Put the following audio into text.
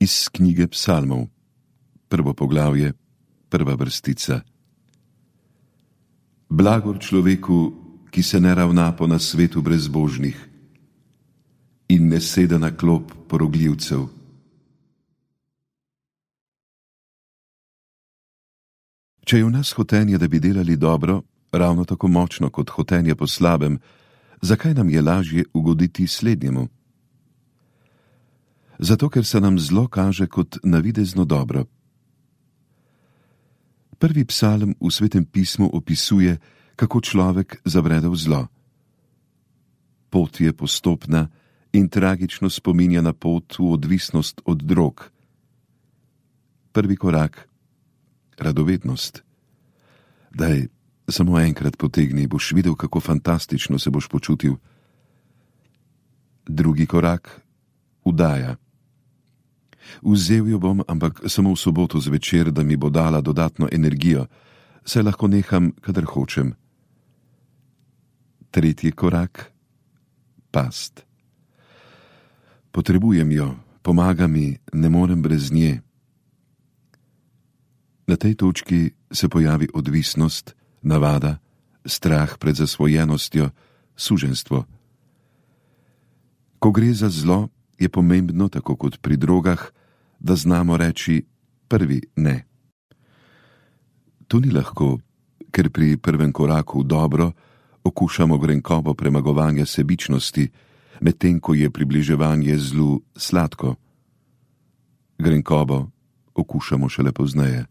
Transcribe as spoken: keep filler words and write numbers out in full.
Iz knjige Psalmov, prvo poglavje, prva vrstica. Blagor človeku, ki se ne ravna po nasvetu brezbožnih in ne sede na klop porogljivcev. Če je v nas hotenje, da bi delali dobro, ravno tako močno kot hotenje po slabem, zakaj nam je lažje ugoditi slednjemu? Zato, ker se nam zlo kaže kot navidezno dobro. Prvi psalm v Svetem pismu opisuje, kako človek zabrede v zlo. Pot je postopna in tragično spominja na pot v odvisnost od drog. Prvi korak, radovednost. Daj, samo enkrat potegni, boš videl, kako fantastično se boš počutil. Drugi korak, vdaja. Vzel jo bom, ampak samo v soboto zvečer, da mi bo dala dodatno energijo, saj lahko neham, kadar hočem. Tretji korak, past. Potrebujem jo, pomaga mi, ne morem brez nje. Na tej točki se pojavi odvisnost, navada, strah pred zasvojenostjo, suženjstvo. Ko gre za zlo, je pomembno, tako kot pri drogah, da znamo reči prvi ne. To ni lahko, ker pri prvem koraku v dobro okušamo grenkobo premagovanja sebičnosti, medtem ko je približevanje zlu sladko. Grenkobo okušamo šele pozneje.